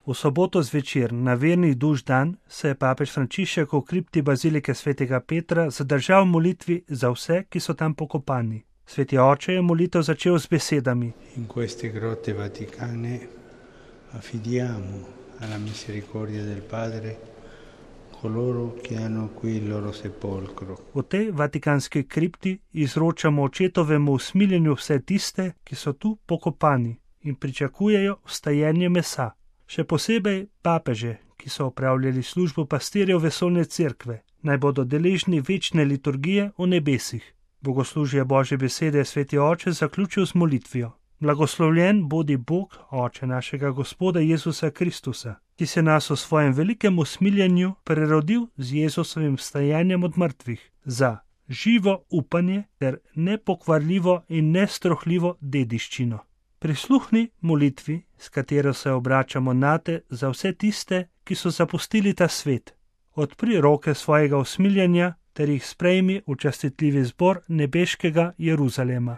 V soboto zvečer, na vernih duš dan, se je papež Frančišek v kripti bazilike svetega Petra zadržal v molitvi za vse, ki so tam pokopani. Sveti oče je molitev začel z besedami: In queste grotte vaticane affidiamo alla misericordia del Padre coloro che hanno qui il loro sepolcro. V tej vatikanski kripti izročamo očetovemu usmiljenju vse tiste, ki so tu pokopani in pričakujejo vstajenje mesa. Še posebej papeže, ki so opravljali službo pastirjev vesoljne cerkve, naj bodo deležni večne liturgije v nebesih. Bogoslužje Božje besede je sveti oče zaključil z molitvijo: Blagoslovljen bodi Bog, Oče našega Gospoda Jezusa Kristusa, ki se nas v svojem velikem usmiljenju prerodil z Jezusovim vstajenjem od mrtvih, za živo upanje ter nepokvarljivo in nestrohljivo dediščino. Prisluhni molitvi, s katero se obračamo nate za vse tiste, ki so zapustili ta svet. Odpri roke svojega usmiljenja ter jih sprejmi v častitljivi zbor nebeškega Jeruzalema.